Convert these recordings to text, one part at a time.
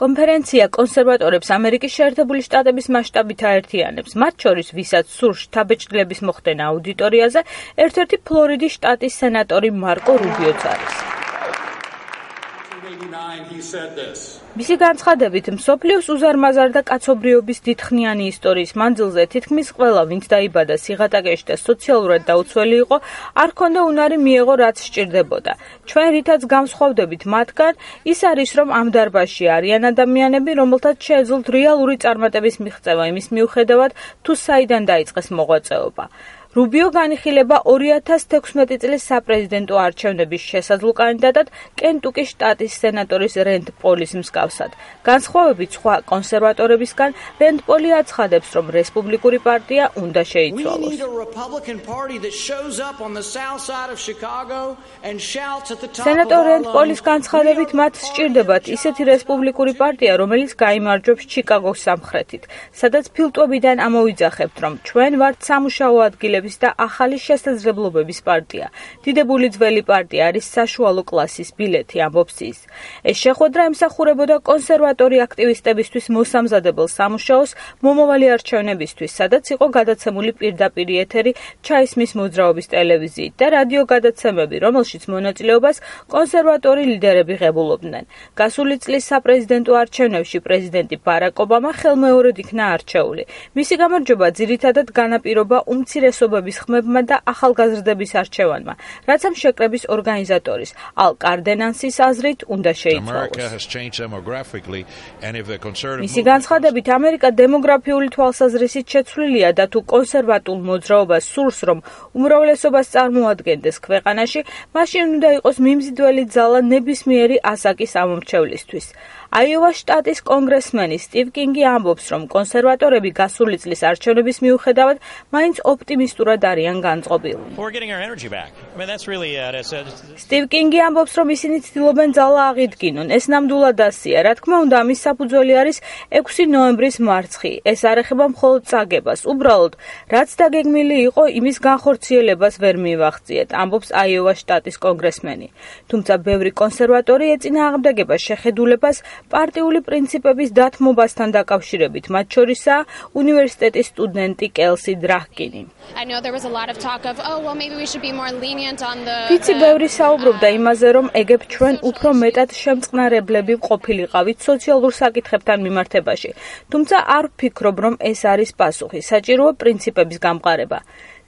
კონფერენცია კონსერვატორებს ამერიკის შეერთებული შტატების მასშტაბით აერთიანებს, მათ შორის ვისაც სურს შთაბეჭდილების მოხდენა აუდიტორიაზე, ერთ-ერთი ფლორიდის შტატის სენატორი მარკო რუბიოც არის. მისი განცხადებით, მსოფლიოს უზარმაზარ და კაცობრიობის დიდხნიანი ისტორიის მანძილზე თითქმის ყველა, ვინც დაიბადა სიღატაკეში და სოციალურად დაუცველი იყო, არ ჰქონდა უნარი მიეღო, რაც სჭირდებოდა. ჩვენ რითაც განსხვავდებით მათგან, ის არის, რომ ამ დარბაზში არიან ადამიანები, რომელთაც შეეძლოთ რეალური წარმატების მიღწევა იმის მიუხედავად, თუ საიდან დაიწყეს მოღვაწეობა. რუბიო განიხილება 2016 წლის საპრეზიდენტო არჩევნების შესაძლო კანდიდატად კენტუკის შტატის სენატორის რენდ პოლის მსგავსად. განსხვავებით სხვა კონსერვატორებისგან, რენდ პოლი აცხადებს, რომ რესპუბლიკური პარტია უნდა შეიცვალოს. სენატორ რენდ პოლის განცხადებით, მათ სჭირდებათ ისეთი რესპუბლიკური პარტია, რომელიც გაიმარჯვებს ჩიკაგოს სამხრეთით, სადაც ფილტვებიდან ამოვიძახებთ, რომ ჩვენ ვართ სამუშაო ადგილები და ახალი შესაძლებლობების პარტია. დიდებული ძველი პარტია არის საშუალო კლასის ბილეთი, ამბობს ის. ეს შეხვედრა ემსახურებოდა კონსერვატორი აქტივისტებისთვის მოსამზადებელ სამუშაოს მომავალი არჩევნებისთვის, სადაც იყო გადაცემული პირდაპირ ეთერი ჩაისმის მოძრაობის ტელევიზიით და რადიო გადაცემები, რომელშიც მონაწილეობას კონსერვატორი ლიდერები ღებულობდნენ. გასული წლის საპრეზიდენტო არჩევნებში პრეზიდენტი ბარაკ ობამა ხელმეორედ იქნა არჩეული. მისი გამარჯვება ძირითადად განაპირობა უმცირესობა ხმებმა და ახალგაზრდების არჩევანმა, რაც ამ შეკრების ორგანიზატორის ალ კარდენანსის აზრით უნდა შეიცვალოს. მისი განცხადებით, ამერიკა დემოგრაფიული თვალსაზრისით შეცვლილია და თუ კონსერვატულ მოძრაობას სურს, რომ უმრავლესობას წარმოადგენდეს ქვეყანაში, მაშინ უნდა იყოს მიმზიდველი ძალა ნებისმიერი ასაკის ამომრჩევლისთვის. აიოვას შტატის კონგრესმენი სტივ კინგი ამბობს, რომ კონსერვატორები გასული წლის არჩევნების მიუხედავად მაინც ოპტიმისტურად არიან განწყობილ. სტივ კინგი ამბობს, რომ ისინი ცდილობენ ძალა აღიდგინონ. ეს ნამდვილად ასია. რა თქმა უნდა, ამის საფუძველი არის 6 ნოემბრის მარცხი. ეს არ ეხება მხოლოდ წაგებას. უბრალოდ, რაც დაგეგმილი იყო, იმის განხორციელებას ვერ მივახციეთ, ამბობს აიოვას შტატის კონგრესმენი. თუმცა ბევრი კონსერვატორი ეწინააღმდეგება შეხედულებას პარტიული პრინციპების დათმობასთან დაკავშირებით, მათ შორისაა უნივერსიტეტის სტუდენტი კელსი დრაჰკინი. ვიცი, ბევრი საუბრობდა იმაზე, რომ ეგებ ჩვენ უფრო მეტად შემწყნარებლები ყოფილიყავით სოციალურ საკითხებთან მიმართებაში. თუმცა არ ვფიქრობ, რომ ეს არის პასუხი. საჭიროა პრინციპების გამყარება.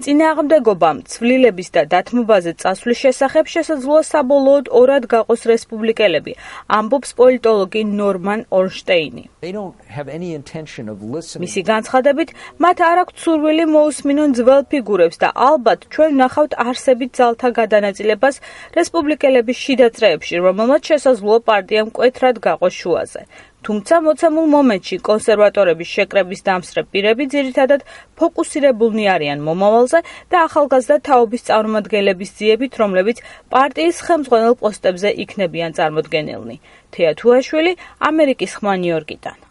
წინააღმდეგობამ ცვლილების და დათმობაზე წასვლის შესახებ შესაძლოა საბოლოოდ ორად გაყოს რესპუბლიკელები, ამბობს პოლიტოლოგი ნორმან ორნშტეინი. მისი განცხადებით, მათ არ აქვთ სურვილი მოусმინონ ძველ ფიგურებს და ალბათ ჩვენ ვნახავთ არსებით ძალთა გადანაწილებას რესპუბლიკელების შიდა წრეებში, რომელმაც შესაძლოა პარტია მკვეთრად გაყოს შუაზე. თუმცა მოცემულ მომენტში კონსერვატორების შეკრების დამსწრე პირები ძირითადად ფოკუსირებულნი არიან მომავალზე და ახალგაზრდა თაობის წარმომადგენლების ძიებით, რომლებიც პარტიის ხელმძღვანელ პოსტებზე იქნებიან წარმოდგენილნი. თეა თუაშვილი, ამერიკის ხმა, ნიუ-იორკიდან.